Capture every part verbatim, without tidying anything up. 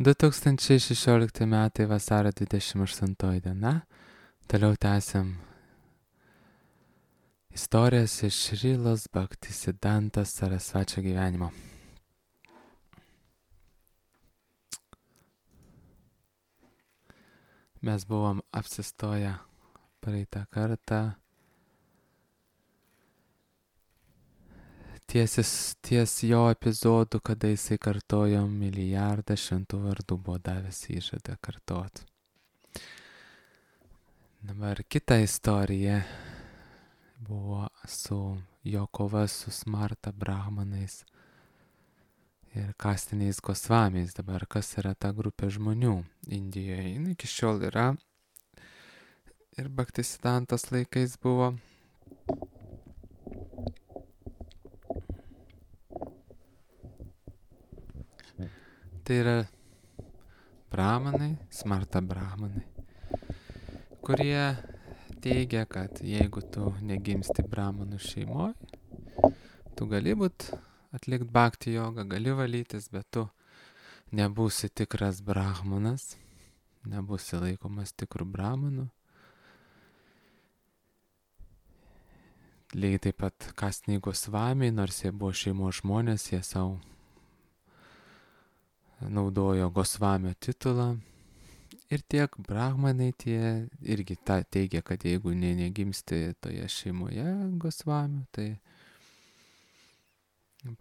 du tūkstančiai šešiolikti metai vasario dvidešimt aštuntoji diena. Toliau tęsiam istorijas iš Šrilos Bhaktisiddhantos Sarasvačio gyvenimo. Mes buvom apsistoję praeitą kartą ties, ties jo epizodu, kada jisai kartojo milijardą šventų vardų, buvo davęs įžadą kartot. Dabar kita istorija buvo su jo kova su Smarta brahmanais ir kastiniais Gosvamiais. Dabar kas yra ta grupė žmonių Indijoje? Jis iki šiol yra ir Bhaktisiddhantos laikais buvo. Tai yra brahmanai, Smarta brahmanai, kurie teigia, kad jeigu tu negimsti brahmanų šeimoje, tu gali būt atlikti bhakti jogą, gali valytis, bet tu nebūsi tikras brahmanas, nebūsi laikomas tikrų brahmanų. Lygiai taip pat kastiniai Gosvamiai, nors jie buvo šeimos žmonės, jie savo naudojo Gosvamio titulą. Ir tiek brahmanai tie irgi ta, teigia, kad jeigu ne, negimsti toje šeimoje Gosvamių, tai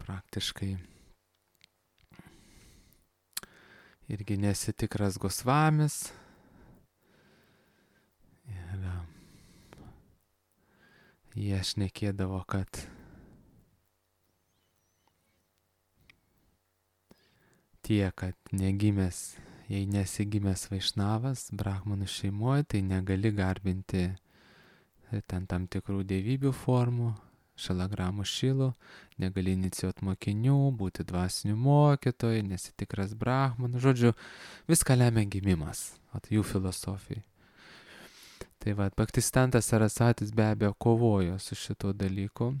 praktiškai irgi nesi tikras Gosvamis. Ir jie šnekėdavo, kad tie, kad negimęs, jei nesigimęs vaišnavas brahmanų šeimoje, tai negali garbinti ten tam tikrų dievybių formų, šalagramų šilų, negali inicijuoti mokinių, būti dvasinių mokytojų, nesi tikras brahmanų. Žodžiu, viską lemia gimimas, at jų filosofijai. Tai va, Bhaktisiddhantas Sarasvatis be abejo kovojo su šito dalyku.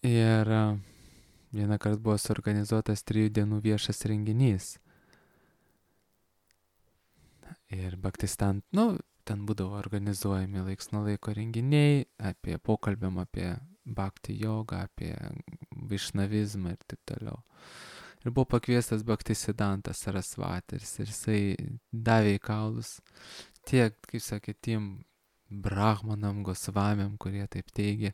Ir vieną kartą buvo suorganizuotas trijų dienų viešas renginys. Ir Bhaktisiddhantas, nu, ten būdavo organizuojami laiks nuo laiko renginiai apie pokalbėm apie bhakti jogą, apie vaišnavizmą ir taip toliau. Ir buvo pakviestas Bhaktisiddhantas Sarasvatis ir jisai davė į kaulus tiek, kaip sakė, tiem brahmanam, Gosvamiam, kurie taip teigia,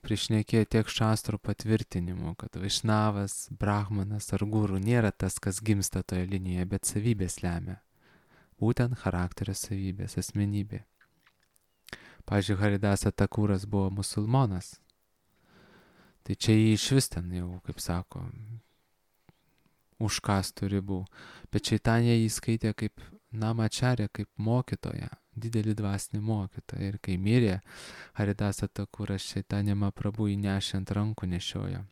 prišnekėjo tiek šastrų patvirtinimų, kad vaišnavas, brahmanas ar guru nėra tas, kas gimsta toje linijoje, bet savybės lemia. Būtent charakterio savybės, asmenybė. Pavyzdžiui, Haridasa Thakuras buvo musulmonas. Tai čia jį iš vis ten jau, kaip sako, už kastų ribų. Bet Čaitanija jį skaitė kaip namačarė, kaip mokytoja, didelį dvasinį mokytoją. Ir kai mirė Haridasa Thakuras, Čaitanija Mahaprabhu jį nešė ant rankų nešiojo.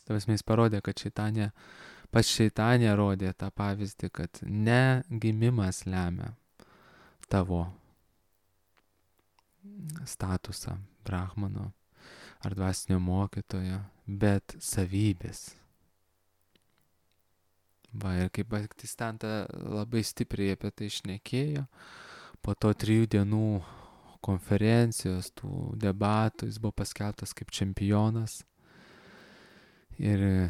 Tavas mes parodė, kad Čaitanija, pas Čaitanija rodė tą pavyzdį, kad ne gimimas lemia tavo statusą brahmano ar dvasinio mokytojo, bet savybės. Va, ir kaip Bhaktisiddhanta labai stipriai apie tai šnekėjo, po to trijų dienų konferencijos, tų debatų, jis buvo paskelbtas kaip čempionas ir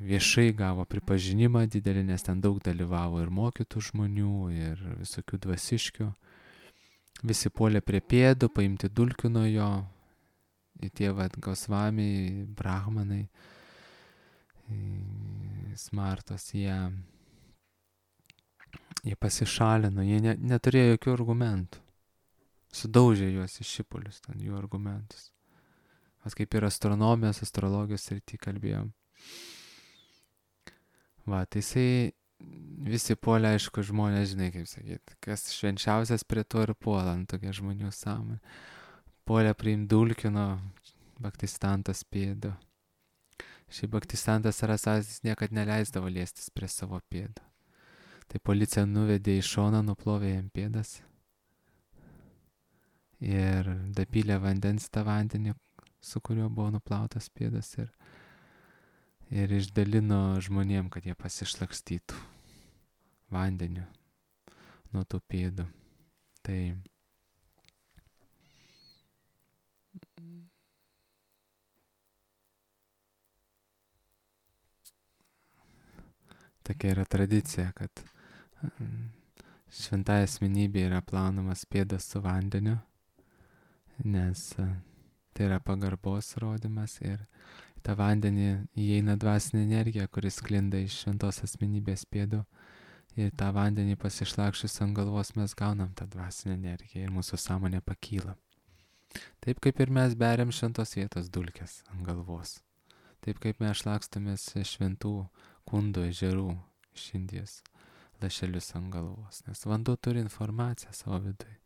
viešai gavo pripažinimą didelį, nes ten daug dalyvavo ir mokytų žmonių, ir visokių dvasiškių. Visi puolė prie pėdų, paimti dulkių nuo jo, ir tie vat Gosvamiai, brahmanai, Smartos, jie, jie pasišalino, jie ne, neturėjo jokių argumentų. Sudaužė juos į šipulius, ten jų argumentus. Vas kaip ir astronomijos, astrologijos srity kalbėjom. Va, tai jisai visi puolė, aišku, žmonės, žinai, kaip sakyt, kas švenčiausias prie to ir puola, tokia žmonių sąmonė. Puolė priimt dulkino Bhaktisiddhantos pėdų. Šiaip Bhaktisiddhantas Sarasvatis niekad neleisdavo liestis prie savo pėdų. Tai policija nuvedė į šoną, nuplovė jam pėdas ir dapylė vandens tą vandenį, su kuriuo buvo nuplautas pėdas ir, ir išdalino žmonėm, kad jie pasišlakstytų vandeniu nuo tų pėdų. Tai tokia yra tradicija, kad šventai asmenybė yra plaunamas pėdas su vandeniu, nes tai yra pagarbos rodymas ir į tą vandenį įeina dvasinė energija, kuris sklinda iš šventos asmenybės pėdų. Ir tą vandenį pasišlakšius ant galvos mes gaunam tą dvasinę energiją ir mūsų sąmonė pakyla. Taip kaip ir mes beriam šventos vietos dulkes ant galvos. Taip kaip mes šlakstomės šventų kundų ežerų iš Indijos lašelius ant galvos. Nes vanduo turi informaciją savo viduje.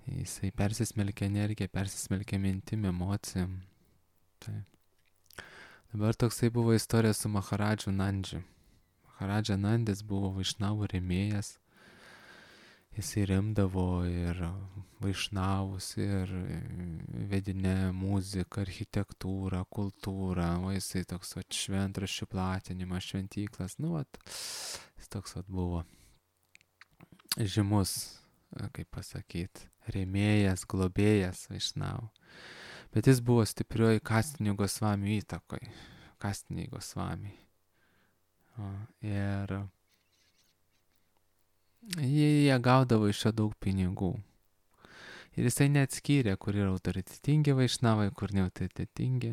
Jisai persismelkia energiją, persismelkia mintim, emocijom. Tai. Dabar toksai buvo istorija su Maharadžu Nandžiu. Maharadža Nandis buvo vaišnavų rėmėjas. Jisai remdavo ir vaišnavus, ir vedinę muziką, architektūrą, kultūrą. O jisai toks vat, šventraščių platinimas, šventyklas. Nu, vat, jis toks vat, buvo žymus, kaip pasakyti, rėmėjas, globėjas vaišnavų. Bet jis buvo stiprioji Kastinio Gosvamio įtakoj. Kastiniai Gosvamiai. O, ir jie, jie gaudavo iš jo daug pinigų. Ir jisai neatskyrė, kur yra autoritetingi vaišnavai, kur neautoritetingi.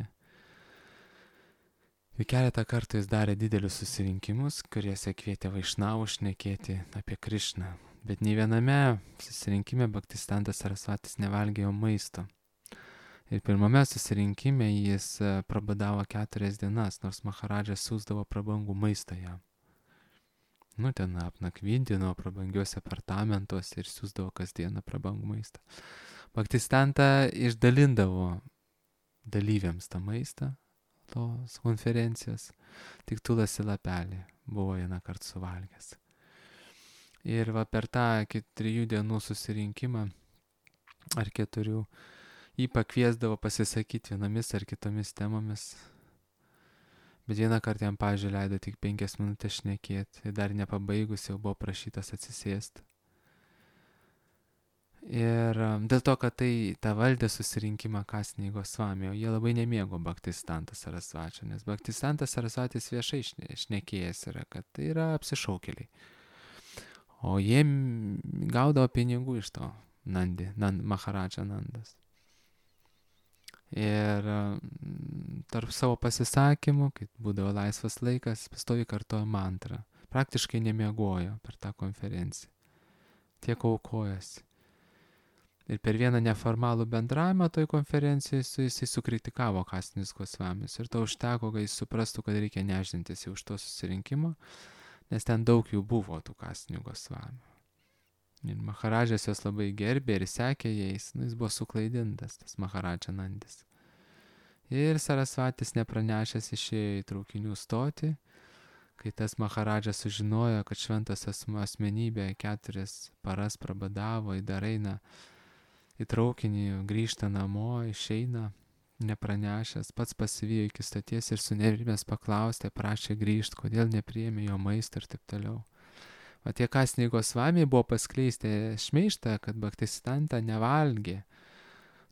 Ir keletą kartų jis darė didelius susirinkimus, kuriuose kvietė vaišnavų šnekėti apie Krišną. Bet nei viename susirinkime Bhaktisiddhantas Sarasvatis nevalgėjo maisto. Ir pirmame susirinkime jis prabadavo keturias dienas, nors Maharadžas siūsdavo prabangų maistą jam. Nu, ten apnakvindino prabangiuose apartamentuose ir siūsdavo kasdieną prabangų maistą. Bhaktisiddhanta išdalindavo dalyviams tą maistą, tos konferencijos, tik Tulasi lapelį buvo vieną kartą suvalgęs. Ir va per tą trijų dienų susirinkimą ar keturių jį pakviesdavo pasisakyti vienomis ar kitomis temomis. Bet vieną kartą jam, pavyzdžiui, leido tik penkias minutės šnekėti ir dar nepabaigus jau buvo prašytas atsisėsti. Ir dėl to, kad tai tą valdė susirinkimą Kastiniai Gosvami, o jie labai nemėgo Bhaktisiddhantos Sarasvačio, nes Bhaktisiddhantas Sarasvatis viešai šnekėjęs yra, kad tai yra apsišaukėliai. O jie gaudavo pinigų iš to Nandi, Nand, Maharadža Nandas. Ir tarp savo pasisakymų, kai būdavo laisvas laikas, pastoviai kartojo mantrą. Praktiškai nemiegojo per tą konferenciją. Tiek aukojosi. Ir per vieną neformalų bendravimą toj konferencijoje su jisai sukritikavo Kastinius Gosvamis. Ir to užteko, kad jis suprastų, kad reikia neždintis jau už to susirinkimo, nes ten daug jų buvo tų Kastinių Gosvamių. Ir Maharadžas jos labai gerbė ir sekė jais, nu, jis buvo suklaidintas, tas Maharadža Nandis. Ir Sarasvatis nepranešęs išėjo į traukinių stotį, kai tas Maharadžas sužinojo, kad šventas asmenybė keturias paras prabadavo, dar eina į traukinį, grįžta namo, išeina, nepranešęs, pats pasivijo iki stoties ir sunerimęs paklausė, prašė grįžti, kodėl nepriėmė jo maistą ir taip toliau. O tie Kastiniai Gosvamiai buvo paskleisti šmeižtą, kad Bhaktisiddhanta nevalgė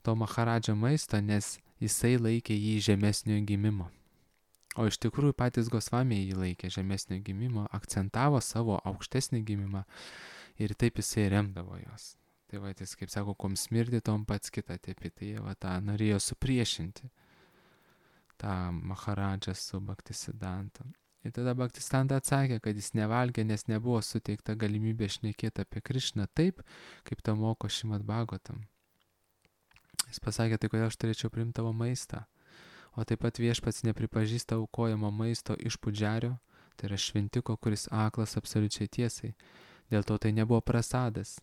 to Maharadžo maisto, nes jisai laikė jį žemesnio gimimo. O iš tikrųjų patys Gosvamiai jį laikė žemesnio gimimo, akcentavo savo aukštesnį gimimą ir taip jisai remdavo jos. Tai va, jis, kaip sako, kom smirdi, tom pats kitą tepi. Tai jie va tą norėjo supriešinti, tą Maharadžą su Bhaktisiddhanta. Ir tada Bhaktisiddhanta atsakė, kad jis nevalgė, nes nebuvo suteikta galimybė šnekėti apie Krišną taip, kaip to moko Šrimad Bhagavatam. Jis pasakė, tai kodėl aš turėčiau priimti tavo maistą. O taip pat viešpats nepripažįsta aukojamo maisto iš pudžerio, tai yra šventiko, kuris aklas absoliučiai tiesai. Dėl to tai nebuvo prasadas.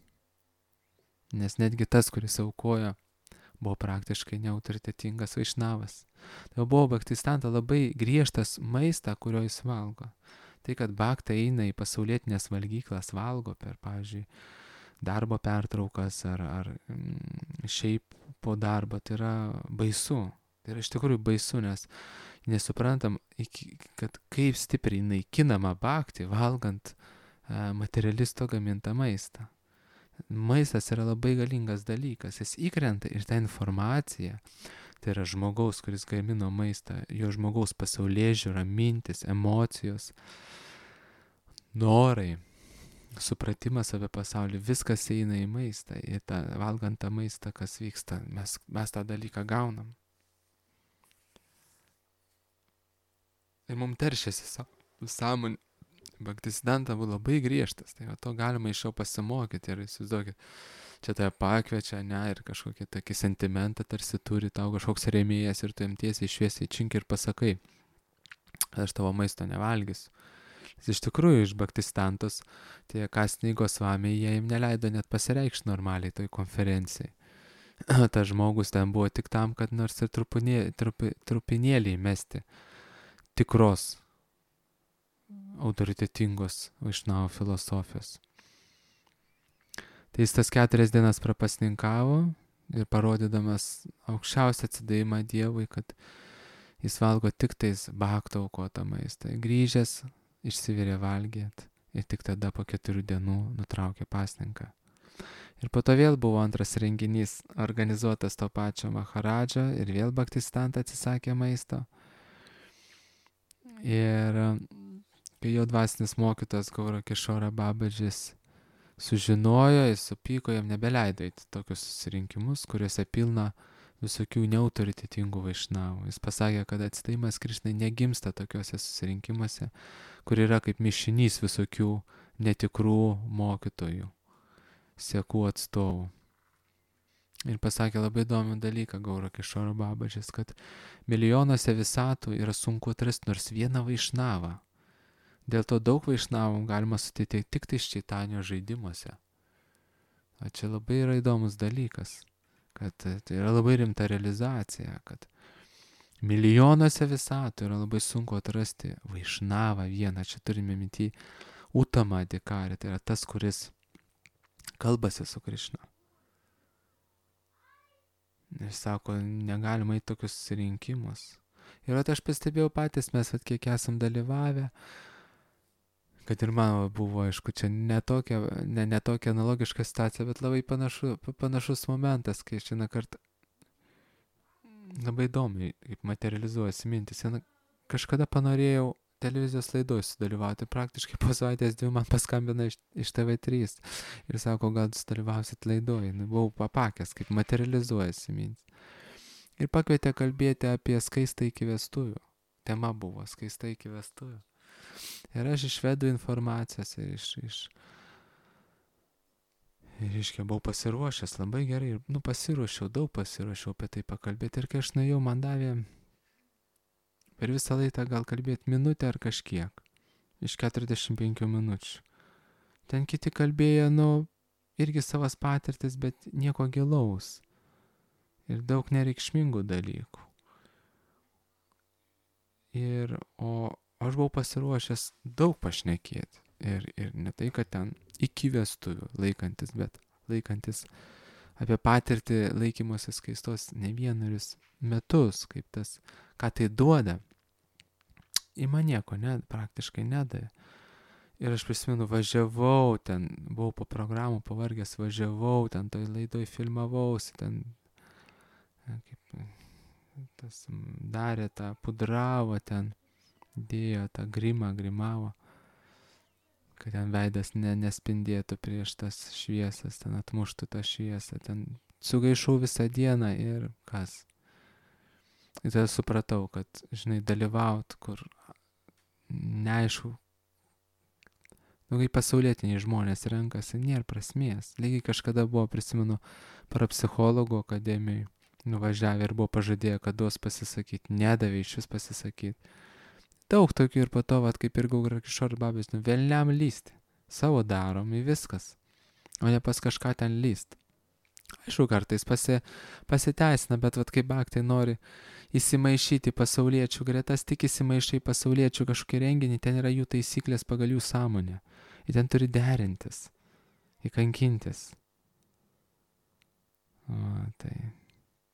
Nes netgi tas, kuris aukojo, buvo praktiškai neautoritetingas vaišnavas. Tai buvo Bhaktisiddhanta labai griežtas maistą, kurio jis valgo. Tai, kad bhakta eina į pasaulietinės valgyklas, valgo per, pavyzdžiui, darbo pertraukas ar, ar mm, šiaip po darbo, tai yra baisu. Tai yra iš tikrųjų baisu, nes nesuprantam, iki, kad kaip stipriai naikinama bhakti, valgant a, materialisto gamintą maistą. Maistas yra labai galingas dalykas, jis įkrenta ir ta informacija, tai yra žmogaus, kuris gamino maistą, jo žmogaus pasaulėžiūra, mintis, emocijos, norai, supratimas apie pasaulį, viskas eina į maistą, ir tą, valgant tą maistą, kas vyksta, mes, mes tą dalyką gaunam. Ir mums teršiasi sąmonė. Bhaktisiddhanta buvo labai griežtas, tai va, to galima iš jo pasimokyti ir įsivaizduokit, čia tave pakviečia, ne, ir kažkokį tokį sentimentą tarsi turi tau kažkoks rėmėjas ir tu jam tiesiai šviesiai čink ir pasakai, aš tavo maisto nevalgysiu. Iš tikrųjų, iš Bhaktisiddhantos tie Kasiniai Gosvamiai, jie jam neleido net pasireikšti normaliai toj konferencijai. Tas žmogus ten buvo tik tam, kad nors ir trupinė, trupi, trupinėlį mesti tikros autoritetingos Vaišnavo filosofijos. Tai jis tas keturias dienas prapasninkavo ir parodydamas aukščiausią atsidavimą Dievui, kad jis valgo tik tais bhakto aukotą maistą. Grįžęs, išsivirė valgėt ir tik tada po keturių dienų nutraukė pasninką. Ir po to vėl buvo antras renginys organizuotas to pačio Maharadžo ir vėl Bhaktisiddhanta atsisakė maisto. Ir kai jo dvasinis mokytojas Gaura Kishora Babadžis sužinojo, jis supyko, jam nebeleido eiti tokius susirinkimus, kuriuose pilna visokių neautoritetingų vaišnavų. Jis pasakė, kad atsidavimas Krišnai negimsta tokiuose susirinkimuose, kur yra kaip mišinys visokių netikrų mokytojų, sekų atstovų. Ir pasakė labai įdomų dalyką Gaura Kishora Babadžis, kad milijonuose visatų yra sunku atrasti nors vieną vaišnavą. Dėl to daug vaišnavų galima sutikti tik tai Čaitanijos žaidimuose. O čia labai yra įdomus dalykas, kad tai yra labai rimta realizacija, kad milijonuose visatų yra labai sunku atrasti vaišnavą vieną. Čia turime minty Uttama Adhikari, tai yra tas, kuris kalbasi su Krišna. Ir sako, negalima į tokius susirinkimus. Ir at aš pastebėjau patys, mes at kiek esam dalyvavę, kad ir man buvo, aišku, čia netokia, ne, netokia analogiška situacija, bet labai panašu, panašus momentas, kai šiandien kartą labai įdomiai, kaip materializuojasi mintis. Šiandien kažkada panorėjau televizijos laidoj sudalyvauti, praktiškai po savaitės dvi man paskambina iš, iš T V trys ir sako, gal sudalyvausit laidoj. Nu, buvau papakęs, kaip materializuojasi mintis. Ir pakvietė kalbėti apie skaistą iki vestuvių. Tema buvo skaista iki vestuvių. Ir aš išvedu informacijos ir iš... iš ir iškia, buvau pasiruošęs labai gerai. Ir, nu, pasiruošiau, daug pasiruošiau apie tai pakalbėti. Ir kai aš nuėjau, man davė per visą laiką gal kalbėti minutę ar kažkiek. Iš keturiasdešimt penkių minučių. Ten kiti kalbėjo, nu, irgi savas patirtis, bet nieko gilaus. Ir daug nereikšmingų dalykų. Ir, o aš buvau pasiruošęs daug pašnekėti. Ir, ir ne tai, kad ten iki vestuvių laikantis, bet laikantis apie patirtį laikymosi skaistos ne vienerius metus, kaip tas, ką tai duoda. Į man nieko ne, praktiškai nedavė. Ir aš prisimenu, važiavau ten, buvau po programų pavargęs, važiavau ten, toj laidoj filmavausi, ten, kaip tas darė tą, pudravo ten, dėjo tą grimą, grimavo, kad ten veidas ne, nespindėtų prieš tas šviesas, ten atmuštų tą šviesą, ten sugaišau visą dieną ir kas. Ir tada supratau, kad, žinai, dalyvaut, kur neaišku, nu, kai pasaulietiniai žmonės renkasi, nėra prasmės. Lygiai kažkada buvo, prisimenu, parapsichologų akademijai nuvažiavę ir buvo pažadėję, kad duos pasisakyti, nedavė iš vis pasisakyti. Daug tokių ir po to, vat, kaip ir Gaura Kishora Babadžis, nu, velniam lysti. Savo darom į viskas, o ne pas kažką ten lyst. Aišku, kartais pasi, pasiteisina, bet vat, kaip baktai nori įsimaišyti pasauliečių gretas, tik įsimaišai pasauliečių kažkokį renginį, ten yra jų taisyklės pagal jų sąmonę. Ir ten turi derintis, įkankintis. O, tai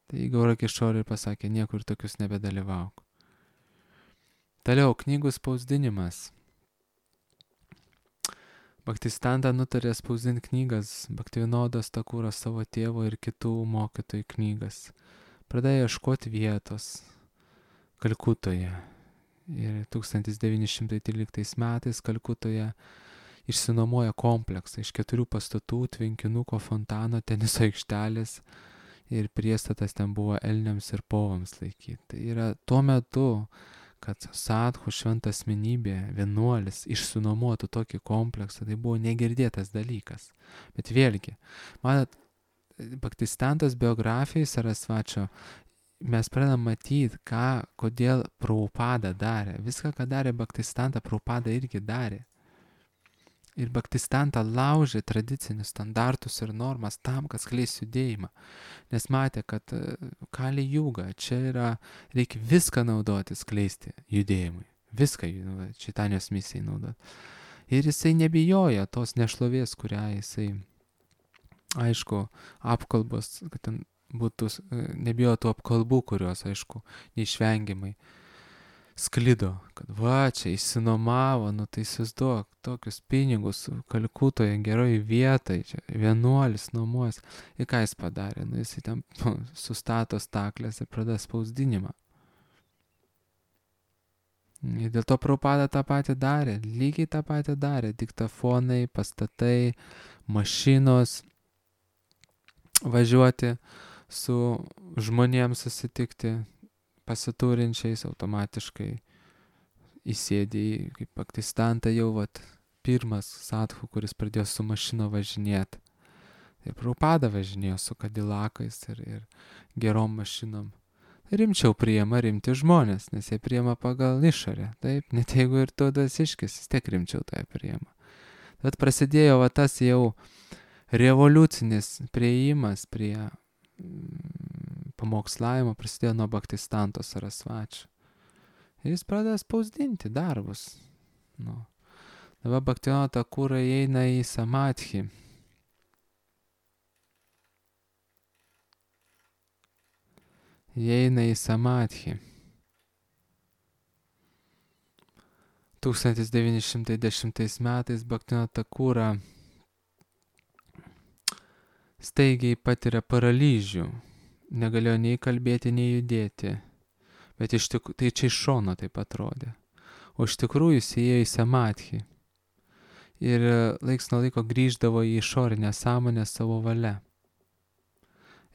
Tai Gaurakišori pasakė, niekur tokius nebedalyvauk. Toliau, knygų spausdinimas. Bhaktisiddhanta nutarė spausdinti knygas Bhaktivinodas Thakuras savo tėvo ir kitų mokytojų knygas. Pradėjo ieškoti vietos Kalkutoje. Ir tūkstantis devyni šimtai tryliktais metais Kalkutoje išsinuomoja kompleksą iš keturių pastatų, tvenkinuko, fontano, teniso aikštelės ir priestatas ten buvo elniams ir povams laikyti. Tai yra tuo metu, kad sadhu šventa asmenybė, vienuolis, išsinuomotų tokį kompleksą, tai buvo negirdėtas dalykas. Bet vėlgi, matot, Bhaktisiddhantos biografijai Sarasvačio mes pradedam matyti, ką, kodėl Prabhupada darė. Viską, ką darė Bhaktisiddhanta, Prabhupada irgi darė. Ir Bhaktisiddhanta laužė tradicinius standartus ir normas tam, kad skleis judėjimą. Nes matė, kad Kali Juga, čia yra, reikia viską naudoti, skleisti judėjimui. Viską Čaitanijos misijai naudoti. Ir jisai nebijojo tos nešlovės, kurią jisai, aišku, apkalbos, kad ten būtų, nebijojo tų apkalbų, kurios, aišku, neišvengiamai sklido, kad va, čia išsinomavo, nu tai įsivaizduok, tokius pinigus Kalkutoje geroj vietai, čia vienuolis nuomojas. Ir ką jis padarė? Nu, jis ten sustato staklės ir pradeda spausdinimą. Ir dėl to Prabhupada tą patį darė, lygiai tą patį darė. Diktafonai, pastatai, mašinos, važiuoti su žmonėms susitikti, pasiturinčiais, automatiškai įsėdė į, kaip Bhaktisiddhanta jau vat, pirmas sadhu, kuris pradėjo su mašino važinėti. Ir Prabhupada važinėjo su kadilakais ir, ir gerom mašinom. Rimčiau priima rimti žmonės, nes jie priima pagal išorę. Taip, net jeigu ir tu dvasiškis, vis tiek rimčiau tai priima. Bet prasidėjo va, tas jau revoliucinis prieimas prie pamokslavimo, prasidėjo nuo Bhaktisiddhanto Sarasvačio. Ir jis pradėjo spausdinti darbus. Nu. Dabar Bhaktivinoda Thakura įeina į samadhi. Įeina į samadhi. tūkstantis devyni šimtai dešimtais metais Bhaktivinoda Thakura staigiai patiria paralyžių. Negalėjo nei kalbėti, nei judėti. Bet iš tikrųjų, tai čia iš šono taip atrodė. O iš tikrųjų jis įėjo į samadhi. Ir laiks nuo laiko grįždavo į išorinę sąmonę savo valia.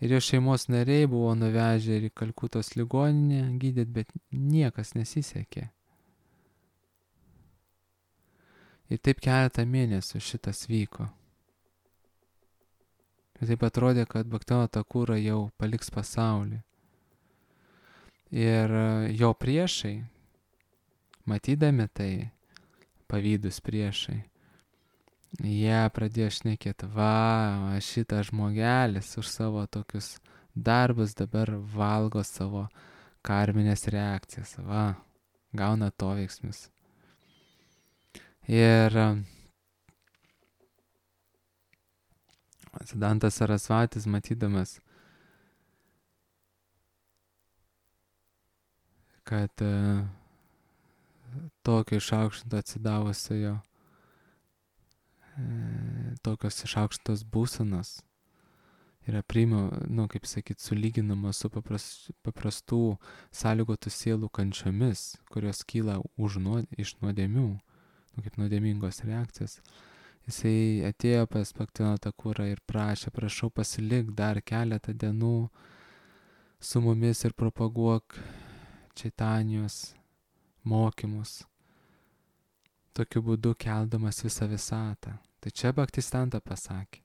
Ir jo šeimos nariai buvo nuvežę ir į Kalkutos ligoninę gydyt, bet niekas nesisekė. Ir taip keletą mėnesių šitas vyko. Ir taip atrodė, kad Bhaktivinoda Thakura jau paliks pasaulį. Ir jo priešai, matydami tai, pavydus priešai, jie pradėjo šnekėti, va, šitas žmogelis už savo tokius darbus dabar valgo savo karminės reakcijas, va, gauna to veiksmus. Ir Siddhantas Sarasvatis, matydamas, kad uh, tokio išaukštinto atsidavusiojo, uh, tokios išaukštintos būsenos yra priima, nu, kaip sakyt, sulyginama su papras, paprastų sąlygotų sielų kančiomis, kurios kyla už nuod, iš nuodėmių, nu, kaip nuodėmingos reakcijas. Jisai atėjo pas Bhaktivinoda Thakurą ir prašė, prašau pasilik dar keletą dienų su mumis ir propaguok Čaitanijos mokymus, tokiu būdu keldamas visą visatą. Tai čia Bhaktisiddhanta pasakė.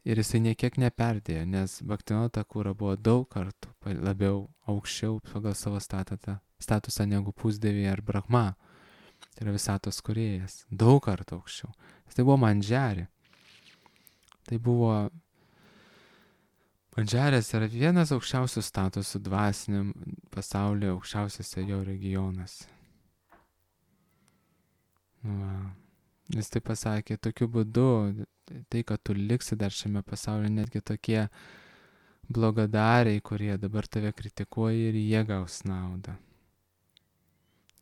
Ir jisai niekiek neperdėjo, nes Bhaktivinoda Thakura buvo daug kartų labiau aukščiau pagal savo statatą, statusą negu pusdieviai ar Brahma. Tai yra visatos kūrėjas. Daug kartų aukščiau. Tai buvo Mandžari. Tai buvo... Mandžarės yra vienas aukščiausių statusų dvasiniam pasaulyje, aukščiausiose jo regionas. Va. Jis tai pasakė, tokiu būdu, tai, kad tu liksi dar šiame pasaulyje, netgi tokie blogadariai, kurie dabar tave kritikuoja ir jie gaus naudą.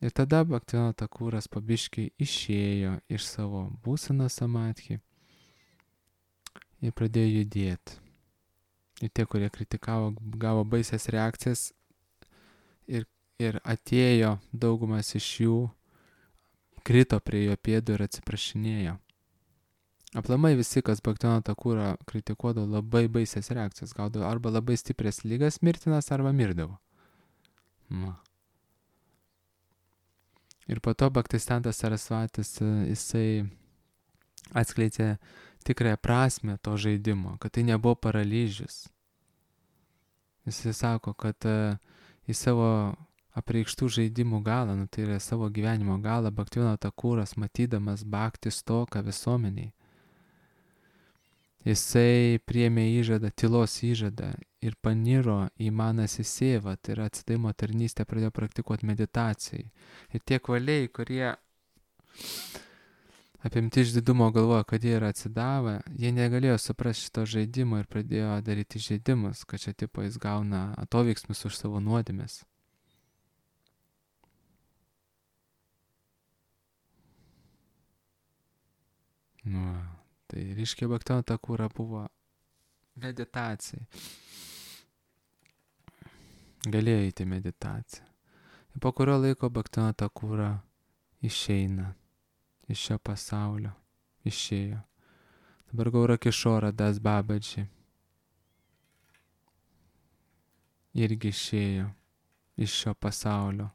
Ir tada Bhaktivinodas Thakuras pabiškiai išėjo iš savo būsenos samadhi ir pradėjo judėti. Ir tie, kurie kritikavo, gavo baisias reakcijas ir, ir atėjo daugumas iš jų, krito prie jo pėdų ir atsiprašinėjo. Aplamai visi, kas Bhaktivinodą Thakurą kritikuodavo, labai baisias reakcijas gaudavo, arba labai stiprias lygas mirtinas, arba mirdavo. Na. Ir po to Bhaktisiddhantas Sarasvatis, jisai atskleidė tikrąją prasme to žaidimo, kad tai nebuvo paralyžius. Jisai sako, kad į savo apreikštų žaidimų galą, nu, tai yra savo gyvenimo galą, Bhaktivinodas Thakuras, matydamas bhakti stoką visuomeniai, jisai priėmė įžadą, tylos įžadą ir paniro į manasi sėvą, tai yra atsidavimo tarnystę, pradėjo praktikuoti meditacijai. Ir tie kvaliai, kurie apimti išdidumo galvoja, kad jie yra atsidavę, jie negalėjo suprasti šito žaidimo ir pradėjo daryti žaidimus, kad čia tipo jis gauna atoveiksmus už savo nuodėmes. Nu, tai reiškia Bhaktivinodas Thakura buvo meditacijai. Galėjo įti meditaciją. Ir po kurio laiko Bhaktivinodas Thakura išeina iš šio pasaulio. Išėjo. Dabar Gaura Kišora Das Babaji irgi išėjo iš šio pasaulio.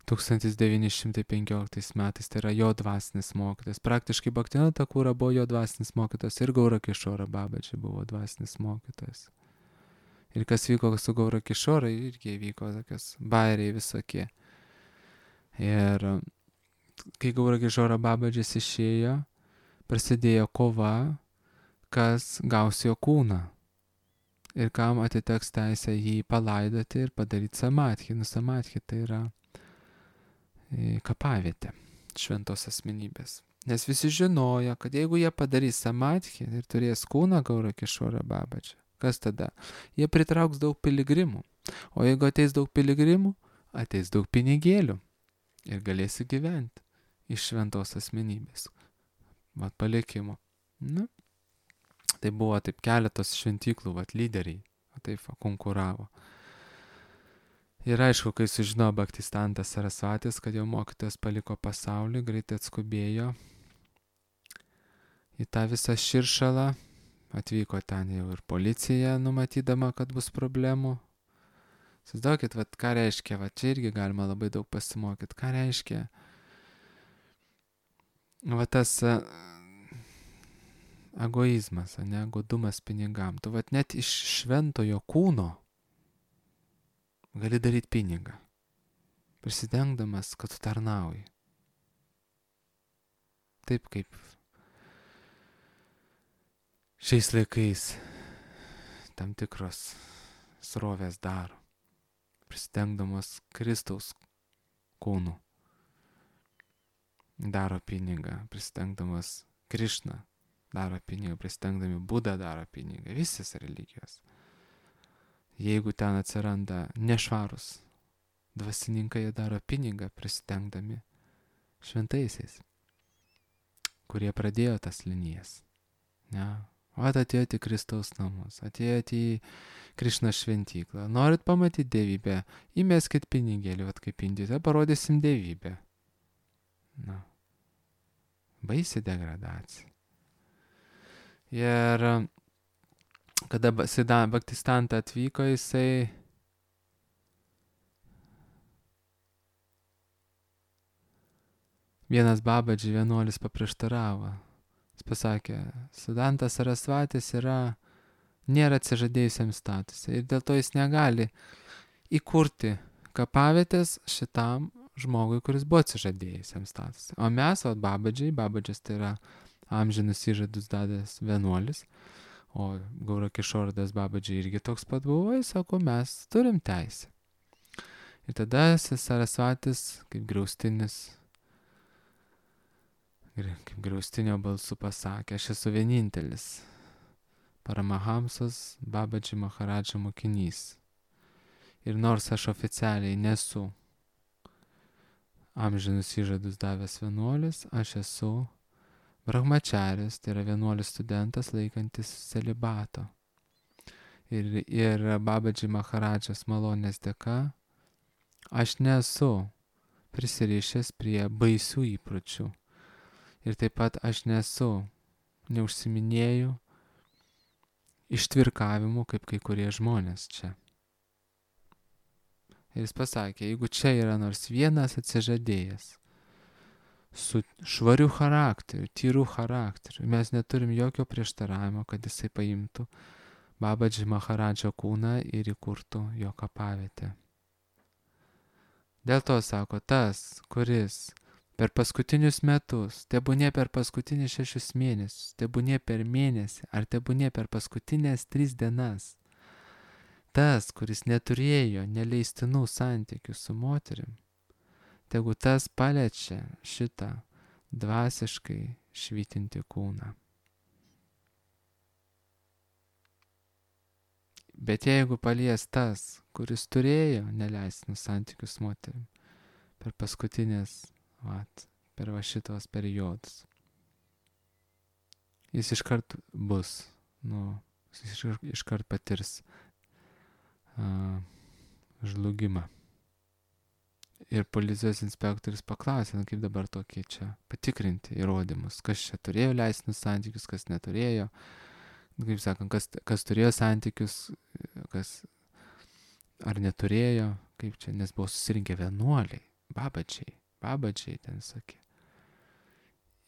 tūkstantis devyni šimtai penkioliktais metais, tai yra jo dvasinis mokytas. Praktiškai Bhaktivinodas Thakura buvo jo dvasinis mokytas ir Gaura Kišora Babaji buvo dvasinis mokytas. Ir kas vyko su Gaura Kišora, irgi vyko tokios bairiai visokie. Ir kai Gaura Kišora Babaji išėjo, prasidėjo kova, kas gaus jo kūną. Ir kam atiteks teisę jį palaidoti ir padaryti samadhi. Nu, samadhi tai yra kapavietė šventos asmenybės. Nes visi žinojo, kad jeigu jie padarys samadhi ir turės kūną Gaura Kišora Babaji, kas tada? Jie pritrauks daug piligrimų. O jeigu ateis daug piligrimų, ateis daug pinigėlių. Ir galėsi gyventi iš šventos asmenybės. Vat palikimo. Nu, tai buvo taip keletos šventyklų, vat lyderiai. Taip va, konkuravo. Ir aišku, kai sužino Bhaktisiddhantas Sarasvatis, kad jo mokytojas paliko pasaulį, greitai atskubėjo į tą visą širšalą. Atvyko ten jau ir policija, numatydama, kad bus problemų. Įsivaizduokit, vat, ką reiškia, vat, čia irgi galima labai daug pasimokyti. Ką reiškia vat, tas uh, egoizmas, ne, godumas pinigam. Tu vat, net iš šventojo kūno gali daryti pinigą, prisidengdamas, kad tu tarnauji. Taip kaip šiais laikais tam tikros srovės daro, prisidengdamas Kristaus kūnu. Daro pinigą, prisidengdamas Krišną, daro pinigą, prisidengdami Budą daro pinigą, visas religijos. Jeigu ten atsiranda nešvarus dvasininkai, jie daro pinigą prisidengdami šventaisiais, kurie pradėjo tas linijas. Ne? O atėjote į Kristaus namus, atėjote į Krišną šventyklą. Norit pamatyti dievybę, įmeskit pinigėlį, vat kaip Indijoje, parodysim dievybę. Na, baisi degradacija. Ir kada Bhaktisiddhanta atvyko, jisai vienas Babaji vienuolis paprieštaravo. Jis pasakė, Siddhantas Sarasvatis yra, nėra atsižadėjusiam statusai ir dėl to jis negali įkurti kapavietės šitam žmogui, kuris buvo atsižadėjusiam statusai. O mes, o Babaji, Babadžis tai yra amžinus įžadus dadęs vienuolis, o Gaura Kišora Das Babaji irgi toks pat buvo, jis sako, mes turim teisę. Ir tada Sarasvatis, kaip griaustinis, kaip griaustinio balsu pasakė, aš esu vienintelis Paramahamsas Babaji Maharadža mokinys. Ir nors aš oficialiai nesu amžinus įžadus davęs vienuolis, aš esu brahmačaris, tai yra vienuolis studentas laikantis celibato. Ir, ir Babaji Maharadžas malonės dėka aš nesu prisirišęs prie baisių įpročių. Ir taip pat aš nesu, neužsiminėju ištvirkavimu kaip kai kurie žmonės čia. Ir jis pasakė, jeigu čia yra nors vienas atsižadėjęs su švariu charakteriu, tyru charakteriu, mes neturim jokio prieštaravimo, kad jisai paimtų Babaji Maharadžo kūną ir įkurtų jo kapavietę. Dėl to sako, tas, kuris per paskutinius metus, tebūnie per paskutinius šešius mėnesius, tebūnie per mėnesį, ar tebūnie per paskutinės tris dienas, tas, kuris neturėjo neleistinų santykių su moterim, tegu tas paliečia šitą dvasiškai švytinti kūną. Bet jeigu palies tas, kuris turėjo neleistinus santykius su moterim per paskutinės Vat, per va šitos periodus. Jis iškart bus, nu, jis iškart, iškart patirs uh, žlugimą. Ir policijos inspektorius paklausė, nu, kaip dabar tokie čia patikrinti įrodymus, kas čia turėjo leistinus santykius, kas neturėjo, kaip sakant, kas, kas turėjo santykius, kas ar neturėjo, kaip čia, nes buvo susirinkę vienuoliai, babadžiai. Babadžiai ten sakė.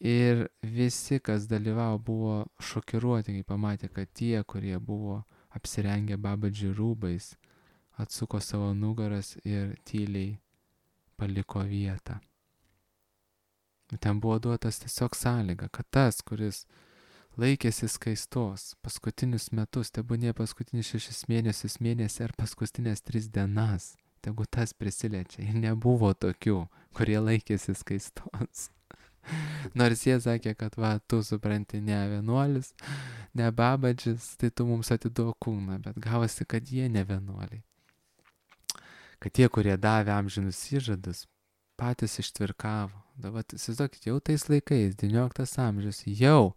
Ir visi, kas dalyvavo, buvo šokiruoti, kai pamatė, kad tie, kurie buvo apsirengę babadžių rūbais, atsuko savo nugaras ir tyliai paliko vietą. Ten buvo duotas tiesiog sąlyga, kad tas, kuris laikėsi skaistos paskutinius metus, tebūnie paskutinius šešis mėnesius, mėnesį ar paskutinės tris dienas, tegu tas prisiliečia. Ir nebuvo tokių, kurie laikėsi skaistos. Nors jie sakė, kad va, tu supranti, ne vienuolis, ne babadžis, tai tu mums atiduok kūną, bet gavosi, kad jie ne vienuoliai. Kad tie, kurie davė amžinus įžadus, patys ištvirkavo. Dabar, įsivaizduokit, jau tais laikais, devynioliktas amžius, jau,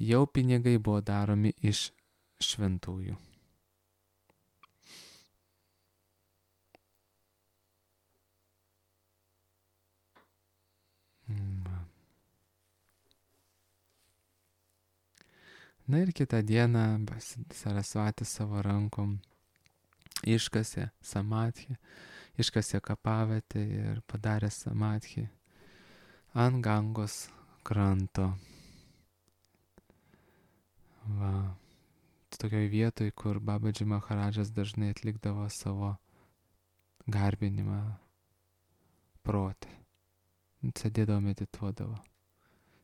jau pinigai buvo daromi iš šventųjų. Na ir kitą dieną Sarasvati savo rankom iškasė samadhį, iškasė kapavietę ir padarė samadhį ant Gangos kranto. Va, tokioj vietoj, kur Babaji Maharadžas dažnai atlikdavo savo garbinimą protė. Sėdėdavo, medituodavo.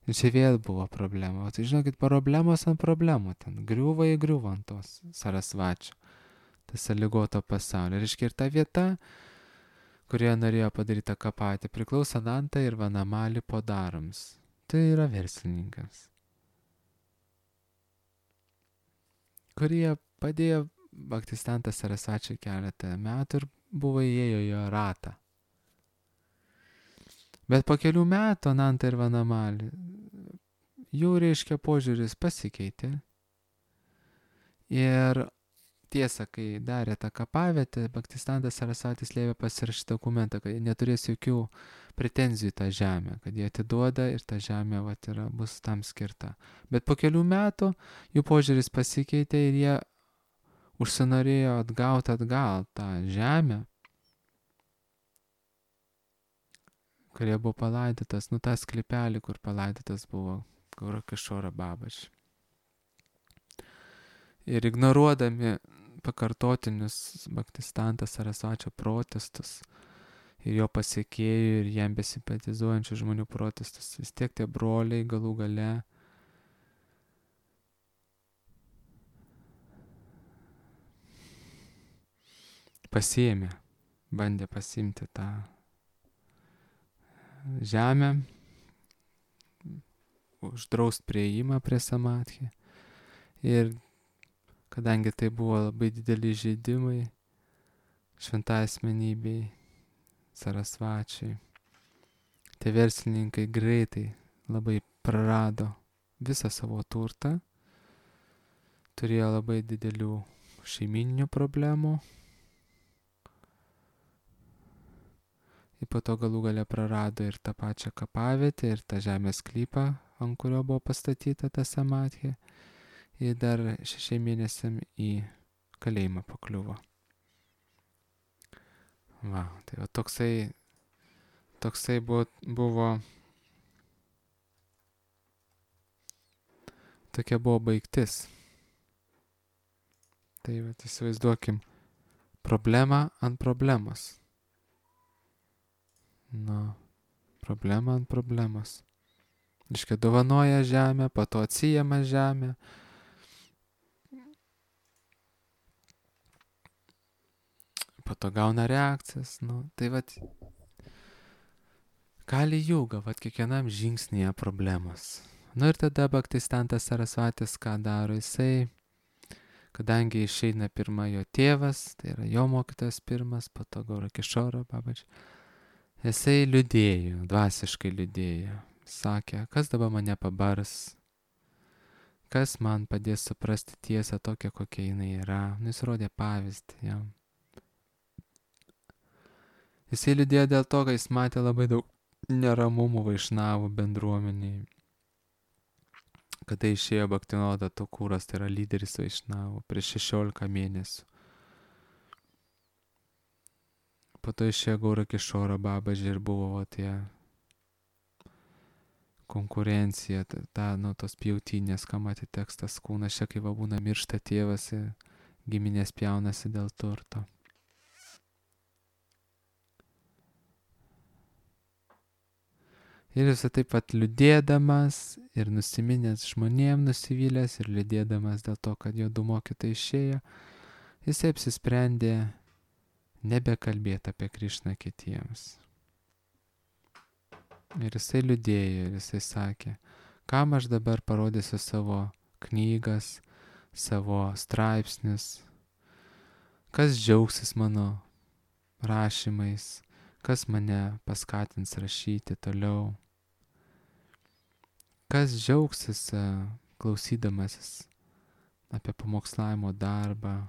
Ir čia vėl buvo problema. O tai žinokit, problemos ant problemų ten. Griuva į griuvą ant tos Sarasvačio. Tas sąlygoto pasaulio. Ir iškirta vieta, kurioje norėjo padaryti kapatį, priklauso Nanta ir Vanamali podarams. Tai yra verslininkams, kurie padėjo Bhaktisiddhanta Sarasvačiui keletą metų ir buvo įėjo jo ratą. Bet po kelių metų Nanta ir Vanamali, jų reiškia požiūris pasikeitė. Ir tiesa, kai darė tą kapavietę, Bhaktisiddhantas Sarasvatis liepė pasirašyti dokumentą, kad jie neturės jokių pretenzijų tą žemę, kad jie atiduoda ir ta žemė vat, yra, bus tam skirta. Bet po kelių metų jų požiūris pasikeitė ir jie užsinorėjo atgauti atgal tą žemę, kurie buvo palaidotas, nu tą sklypelį, kur palaidotas buvo Gorakishora Babaji. Ir ignoruodami pakartotinius Bhaktisiddhanta Sarasvačio protestus ir jo pasiekėjų ir jam besimpatizuojančių žmonių protestus, vis tiek tie broliai galų gale pasiėmė, bandė pasiimti tą žemę, uždraust prieimą prie samadhi Ir kadangi tai buvo labai dideli žaidimai šventai asmenybei, Sarasvačiui, tie verslininkai greitai labai prarado visą savo turtą, turėjo labai didelių šeimyninių problemų. Ir po to galų gale prarado ir tą pačią kapavietę, ir tą žemės sklypą, ant kurio buvo pastatyta ta samadhija. Ir dar šešiai mėnesiam į kalėjimą pakliuvo. Va, tai va toksai, toksai buvo, buvo, tokia buvo baigtis. Tai va, įsivaizduokim, problemą ant problemos. Nu, problema ant problemos. Reiškia, dovanoja žemę, po to atsijama žemę. Po to gauna reakcijas. Nu, tai vat, kali juga, vat kiekvienam žingsnėje problemos. Nu ir tada Bhaktistantas Sarasvatis ką daro? Jisai, kadangi išeina pirma jo tėvas, tai yra jo mokytojas pirmas, po to Gaura Kišora Babaji. Jisai liūdėjo, dvasiškai liūdėjo. Sakė, kas dabar mane pabars, kas man padės suprasti tiesą tokią, kokia jinai yra. Nu, jis rodė pavyzdį jam. Jisai liūdėjo dėl to, kad jis matė labai daug neramumų vaišnavų bendruomeniai. Kada išėjo Bhaktivinoda Thakuras, tai yra lyderis vaišnavų, prieš šešiolika mėnesių. Po to išėjo Gaura Kišora Babaji ir buvo tie konkurencija, ta, ta nu, tos pjautinės, ką matė tekstas kūnas, čia kai va būna miršta tėvas ir giminės pjaunasi dėl turto. Ir jis taip pat liūdėdamas ir nusiminęs žmonėm, nusivylęs ir liūdėdamas dėl to, kad jo du mokytojai išėjo, jis apsisprendė nebekalbėti apie Krišną kitiems. Ir jisai liūdėjo, ir jisai sakė, kam aš dabar parodysiu savo knygas, savo straipsnius, kas džiaugsis mano rašymais, kas mane paskatins rašyti toliau, kas džiaugsis klausydamasis apie pamokslavimo darbą,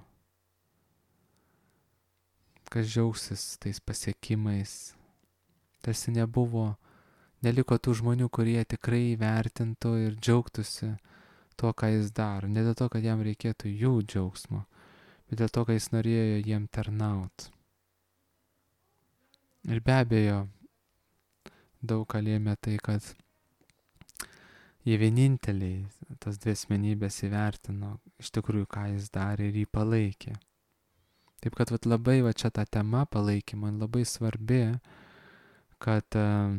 kas džiaugsis tais pasiekimais. Tarsi nebuvo, neliko tų žmonių, kurie tikrai vertintų ir džiaugtųsi tuo, ką jis daro. Ne dėl to, kad jam reikėtų jų džiaugsmo, bet dėl to, kad jis norėjo jiem tarnaut. Ir be abejo, daug ką lėmė tai, kad jie vieninteliai, tas dvi asmenybės įvertino iš tikrųjų, ką jis darė ir jį palaikė. Taip kad vat, labai va, čia ta tema palaikymo labai svarbi, kad uh,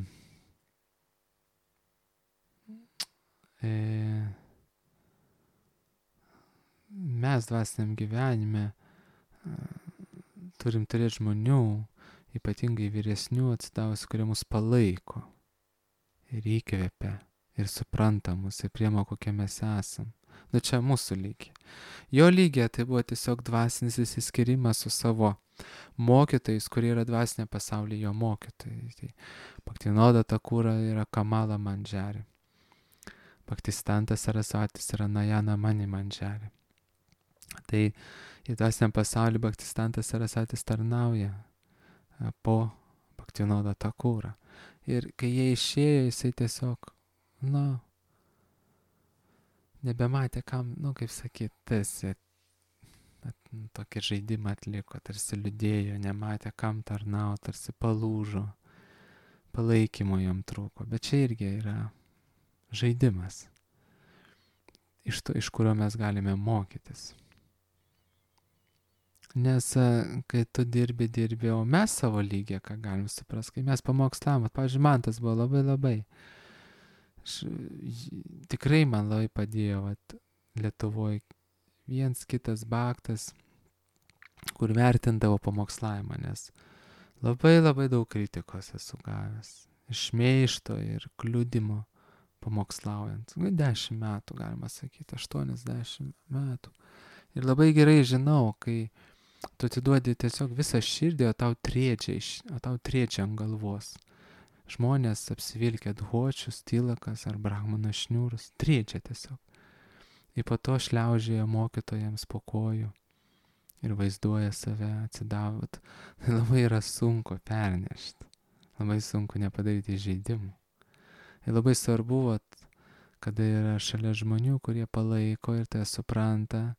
e, mes dvasiniam gyvenime uh, turim turėti žmonių, ypatingai vyresnių atsidavusių, kurie mus palaiko ir įkvepia ir supranta mus ir priema, kokie mes esam. Nu čia mūsų lygiai. Jo lygiai tai buvo tiesiog dvasinis įsiskyrimas su savo mokytojais, kurie yra dvasinė pasaulyje jo mokytojai. Tai Bhaktivinoda Thakura yra Kamala Manjari. Bhaktistantas Sarasvatis yra Najana Mani Manjari. Tai į dvasinę pasaulį Bhaktistantas Sarasvatis tarnauja po Bhaktivinoda Thakura. Ir kai jie išėjo, jisai tiesiog, na, nebematė kam, nu, kaip sakyt, tarsi tokį žaidimą atliko, tarsi liūdėjo, nematė kam tarnau, tarsi palūžo, palaikymo jam trūko. Bet čia irgi yra žaidimas, iš, to, iš kurio mes galime mokytis. Nes kai tu dirbi, dirbi, o mes savo lygiai, ką galim suprasti, kai mes pamokslavom, pavyzdžiui, man tas buvo labai labai. Aš, tikrai man labai padėjo, vat, Lietuvoje viens kitas baktas, kur vertindavo pamokslavimą, nes labai labai daug kritikos esu gavęs, iš šmeižto ir kliudimo pamokslaujant. Nu, dešimt metų, galima sakyti, aštuoniasdešimt metų. Ir labai gerai žinau, kai tu atiduodi tiesiog visą širdį, o tau triečia, o tau triečia ant galvos. Žmonės apsivilkę dhočius, tilakas ar brahmano šniūrus, triečia tiesiog. Ir po to šliaužėja mokytojams po kojų ir vaizduoja save atsidavot. Tai labai yra sunku pernešti. Labai sunku nepadaryti žaidimų. Ir labai svarbu, vat, kada yra šalia žmonių, kurie palaiko ir tai supranta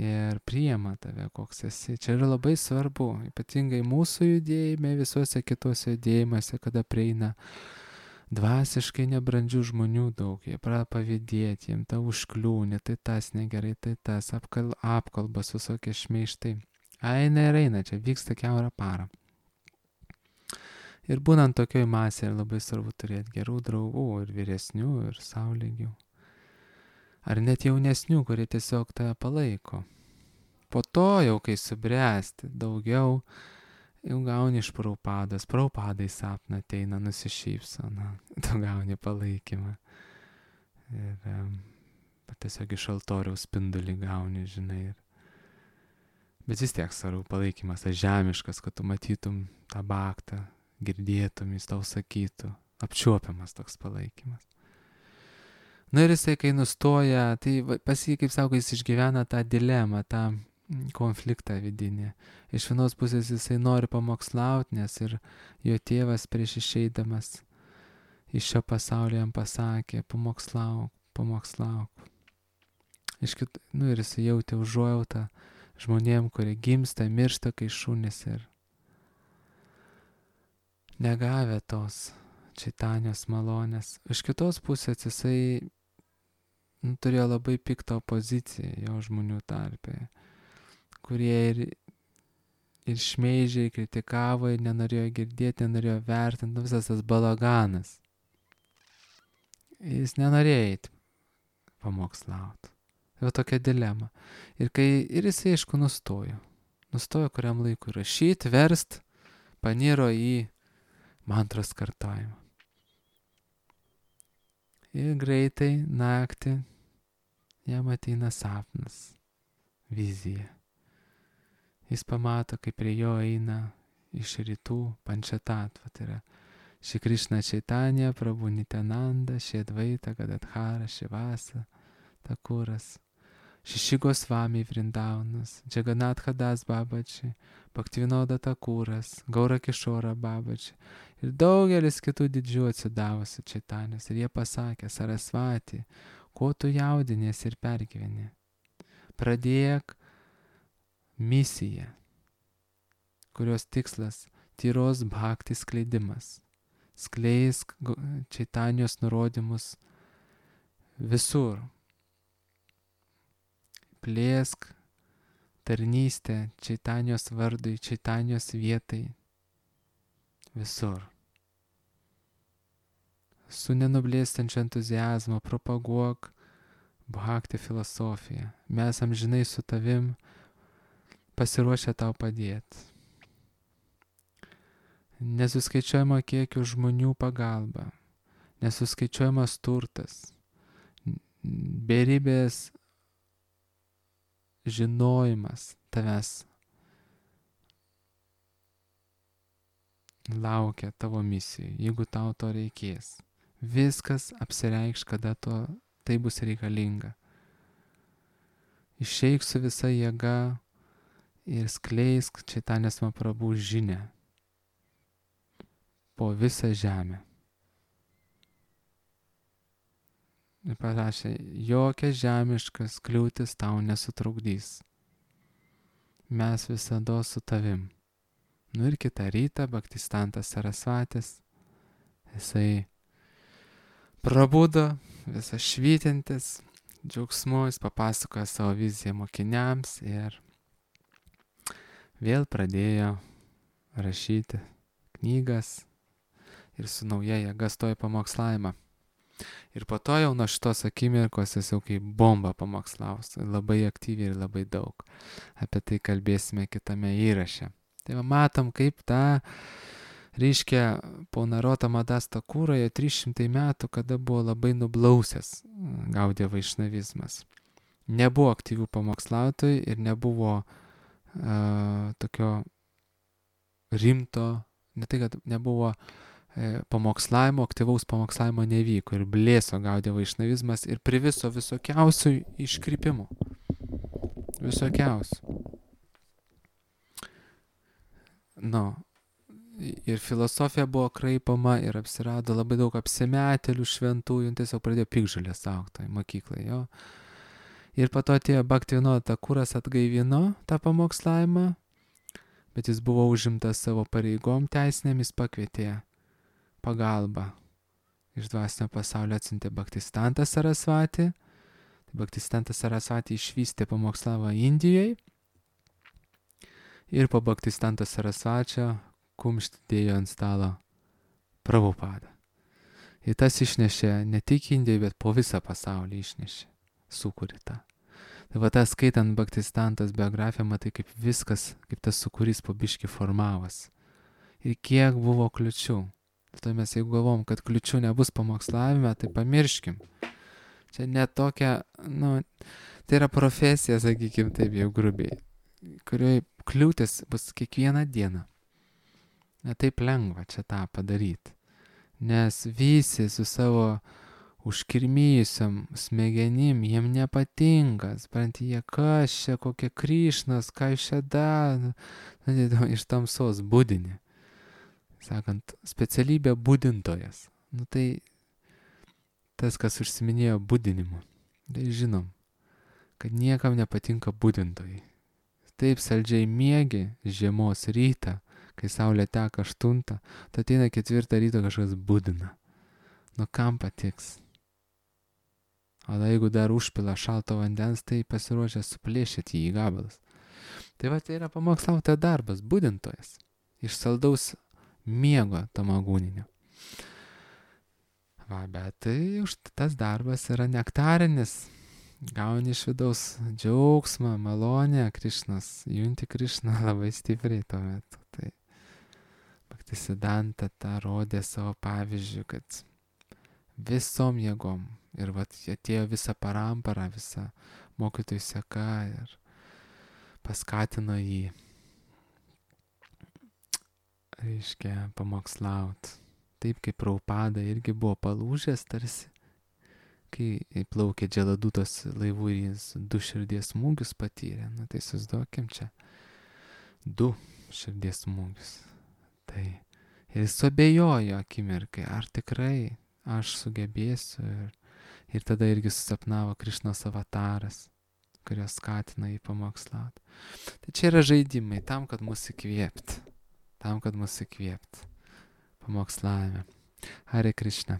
ir priima tave, koks esi. Čia yra labai svarbu, ypatingai mūsų judėjime, visuose kitose judėjimuose, kada prieina dvasiškai nebrandžių žmonių daug, jie pradeda pavydėti, jiems ta užkliūnė, tai tas negerai, tai tas, apkal, apkalbas, visokie šmeištai. Eina ir eina, čia vyksta kiaurą parą. Ir būnant tokioj masėje labai svarbu turėti gerų draugų ir vyresnių, ir saulygių. Ar net jaunesnių, kurie tiesiog tave palaiko. Po to jau, kai subręsti daugiau, jau gauni iš Prabhupados. Prabhupadai sapną ateina, nusišypso, na, tu gauni palaikymą. Ir um, tiesiog iš altoriaus spindulį gauni, žinai. Ir... Bet vis tiek svarbu palaikymas, tas žemiškas, kad tu matytum tą baktą, girdėtum, jis tau sakytų, apčiuopiamas toks palaikymas. Na ir jisai, kai nustoja, tai pas jį, kaip sako, jis išgyvena tą dilemą, tą konfliktą vidinį. Iš vienos pusės jisai nori pamokslauti, nes ir jo tėvas prieš išeidamas iš šio pasaulio jam pasakė, pamokslauk, pamokslauk. Iš kit... Nu ir jisai jautė užuojautą žmonėm, kurie gimsta, miršta, kai šunys ir negavę tos čaitanijos malonės. Iš kitos pusės jisai nu, turėjo labai piktą opoziciją jo žmonių tarpe, kurie ir, ir šmeižiai, kritikavo, ir nenorėjo girdėti, nenorėjo vertinti, nu, visas tas balaganas. Jis nenorėjo eiti pamokslauti. Tai va tokia dilema. Ir, kai, ir jisai, aišku, nustojo. Nustojo kuriam laikui rašyti, verst, paniro į mantros kartojimą. Ir greitai naktį jam ateina sapnas, vizija. Jis pamato, kaip prie jo eina iš rytų Pančatatva, tai yra Šri Krishna Čaitanija, Prabhu Nityananda, Šri Advaita Gadadhara, Šivasa, Takuras, Šeši Gosvami Vrindaunas, Džaganatha Das Babači, Bhaktivinoda Takuras, Gaura Kishora Babači ir daugelis kitų didžių atsidavusių Čaitanijos. Ir jie pasakė, Sarasvati, ko tu jaudinies ir pergyveni? Pradėk misiją, kurios tikslas tyros bhakti skleidimas. Skleisk Čaitanijos nurodymus visur. Plėsk tarnystę Čaitanijos vardui, Čaitanijos vietai, visur. Su nenublėstančiu entuziazmu propaguok bhakti filosofiją. Mes amžinai su tavim pasiruošę tau padėti. Nesuskaičiuojama kiekio žmonių pagalba, nesuskaičiuojamas turtas, beribės žinojimas tavęs laukia tavo misijai, jeigu tau to reikės. Viskas apsireikš, kada to, tai bus reikalinga. Išeik su visa jėga ir skleisk Čaitanijos Mahaprabhu žinią po visą žemę. Ir parašė, jokia žemiškas kliūtis tau nesutrukdys. Mes visada su tavim. Nu ir kitą rytą Bhaktistantas Sarasvatis, jisai prabudo, visas švytintis, džiaugsmu, jis papasakojo savo viziją mokiniams ir vėl pradėjo rašyti knygas ir su nauja jėga stojo pamokslavimą. Ir po to jau nuo šitos akimirkos jis jau kaip bomba pamokslaus, labai aktyviai ir labai daug. Apie tai kalbėsime kitame įraše. Tai va, matom, kaip ta Reiškia, po Narota Madasta kūroje trys šimtai metų, kada buvo labai nublausęs Gaudija vaišnavizmas. Nebuvo aktyvių pamokslautojų ir nebuvo uh, tokio rimto, ne tai, kad nebuvo e, pamokslavimo, aktyvaus pamokslavimo nevyko ir blėso Gaudija vaišnavizmas ir priviso visokiausių iškrypimų. Visokiausių. Nu, ir filosofija buvo kraipama ir apsirado labai daug apsimetėlių šventųjų, tiesiog pradėjo pikžalės augti mokyklai, jo. Ir po to atėjo Bhaktivinoda Thakuras atgaivino tą pamokslavimą, bet jis buvo užimtas savo pareigom teisinėmis, pakvietė pagalbą. Iš dvasinio pasaulio atsiuntė Bhaktisiddhanta Sarasvati. Bhaktisiddhanta Sarasvati išvystė pamokslavą Indijoje. Ir po Bhaktisiddhanta Sarasvačio kumštį dėjo ant stalo Prabhupada. Ir tas išnešė ne tik Indijoje, bet po visą pasaulį išnešė. Sukūrė tą. Tai va tas skaitant Bhaktisiddhantos biografiją, matai kaip viskas, kaip tas sukūrys po biškį formavas. Ir kiek buvo kliučių. Tai mes jeigu galvom, kad kliučių nebus pamokslavime, tai pamirškim. Čia ne tokia, nu, tai yra profesija, sakykim taip jau grubiai, kurioje kliūtis bus kiekvieną dieną. Ne taip lengva čia tą padaryti. Nes visi su savo užkirmyjusiam smegenim, jiem nepatinka, supranti, jie kas čia, kokie Krišnas, ką iš čia da, iš tamsos budinį. Sakant, specialybė budintojas. Nu tai tas, kas užsiminėjo budinimu. Tai žinom, kad niekam nepatinka budintojai. Taip saldžiai miegi žiemos rytą, kai saulė teka aštuntą, tai ateina ketvirtą ryto kažkas budina. Nu kam patiks? O jeigu dar užpila šalto vandens, tai pasiruošę suplėšyti jį į gabalus. Tai va tai yra pamokslautojo darbas, budintojas. Iš saldaus miego tamagūninio. Va, bet tai už tas darbas yra nektarinis. Gauni iš vidaus džiaugsmą, malonę, Krišnas, junti Krišną labai stipriai tuo metu. Tai Bhaktisiddhanta tą rodė savo pavyzdžių, kad visom jėgom. Ir vat atėjo visa parampara, visa mokytojų seka ir paskatino jį, reiškia, pamokslaut. Taip kaip Prabhupada irgi buvo palūžęs tarsi, kai plaukė Dželadutos laivų ir jis du širdies smūgius patyrė. Na tai susiduokim čia. Du širdies smūgius. Tai ir jis suabejojo akimirkai, ar tikrai aš sugebėsiu. Ir Ir tada irgi susapnavo Krišnos avataras, kurios skatina jį pamokslauti. Tai čia yra žaidimai tam, kad mus įkvėpt. Tam, kad mus įkvėpt. Pamokslavime. Hare Krishna.